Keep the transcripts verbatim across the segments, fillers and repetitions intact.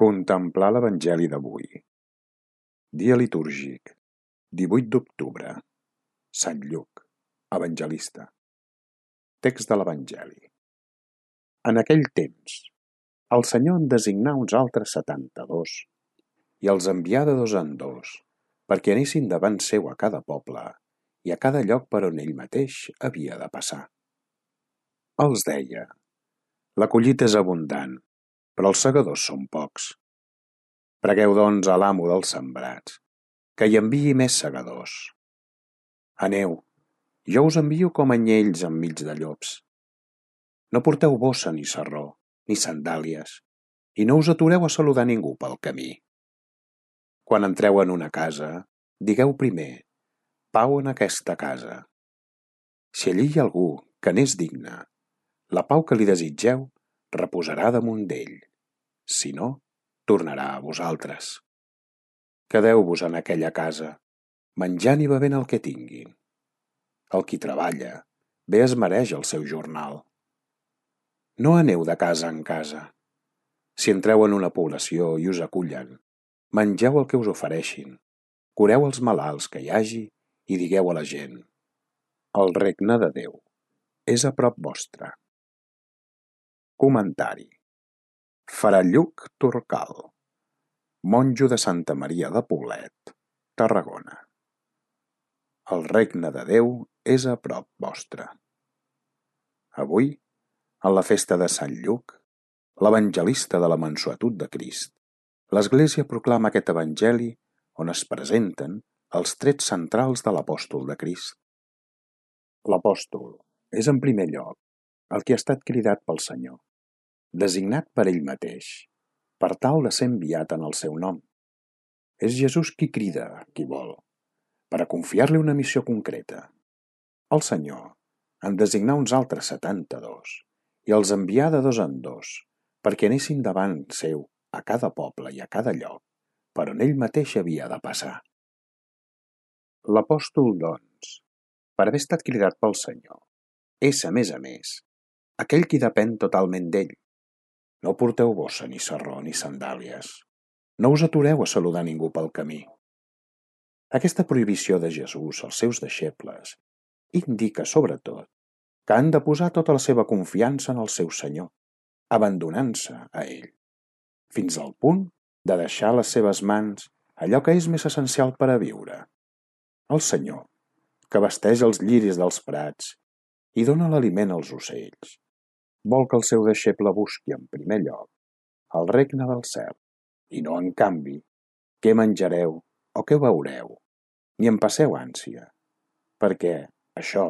Contemplar l'Evangeli d'avui. Dia litúrgic, divuit d'octubre. Sant Lluc, evangelista. Text de l'Evangeli. En aquell temps, el Senyor en designà uns altres setanta-dos i els envià de dos en dos perquè anessin davant seu a cada poble i a cada lloc per on ell mateix havia de passar. Els deia: la collita és abundant, però els segadors són pocs. Pregueu, doncs, a l'amo dels sembrats, que hi enviï més segadors. Aneu, jo us envio com anyells enmig de llops. No porteu bossa ni sarró, ni sandàlies, i no us atureu a saludar ningú pel camí. Quan entreu en una casa, digueu primer: pau en aquesta casa. Si allí hi ha algú que n'és digne, la pau que li desitgeu reposarà damunt d'ell. Si no, tornarà a vosaltres. Quedeu-vos en aquella casa, menjant i bevent el que tinguin. El qui treballa, bé es mereix el seu jornal. No aneu de casa en casa. Si entreu en una població i us acullen, mengeu el que us ofereixin, cureu els malalts que hi hagi i digueu a la gent: el regne de Déu és a prop vostre. Comentari. Faralluc Turcal, monjo de Santa Maria de Poblet, Tarragona. El regne de Déu és a prop vostre. Avui, en la festa de Sant Lluc, l'evangelista de la Mansuetud de Crist, l'Església proclama aquest evangeli on es presenten els trets centrals de l'apòstol de Crist. L'apòstol és, en primer lloc, el que ha estat cridat pel Senyor, designat per ell mateix, per tal de ser enviat en el seu nom. És Jesús qui crida qui vol, per a confiar-li una missió concreta. El Senyor en designà uns altres setanta-dos i els envià de dos en dos perquè anessin davant seu a cada poble i a cada lloc per on ell mateix havia de passar. L'apòstol, doncs, per haver estat cridat pel Senyor, és, a més a més, aquell qui depèn totalment d'ell. No porteu bossa, ni sarró, ni sandàlies. No us atureu a saludar ningú pel camí. Aquesta prohibició de Jesús als seus deixebles indica, sobretot, que han de posar tota la seva confiança en el seu Senyor, abandonant-se a ell, fins al punt de deixar a les seves mans allò que és més essencial per a viure. El Senyor, que vesteix els lliris dels prats i dona l'aliment als ocells, vol que el seu deixeble busqui en primer lloc el regne del cel, i no, en canvi, què menjareu o què beureu, ni en passeu ànsia, perquè això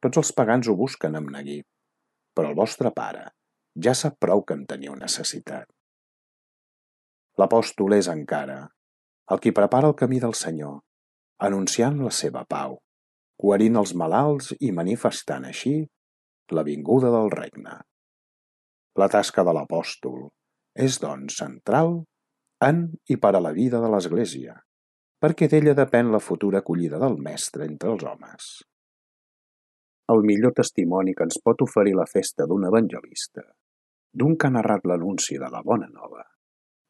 tots els pagans ho busquen amb neguit, però el vostre Pare ja sap prou que en teniu necessitat. L'apòstol és encara el qui prepara el camí del Senyor, anunciant la seva pau, guarint els malalts i manifestant així la vinguda del regne. La tasca de l'apòstol és, doncs, central en i per a la vida de l'Església, perquè d'ella depèn la futura acollida del Mestre entre els homes. El millor testimoni que ens pot oferir la festa d'un evangelista, d'un que ha narrat l'anunci de la bona nova,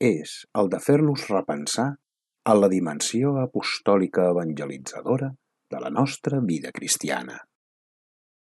és el de fer-nos repensar en la dimensió apostòlica evangelitzadora de la nostra vida cristiana.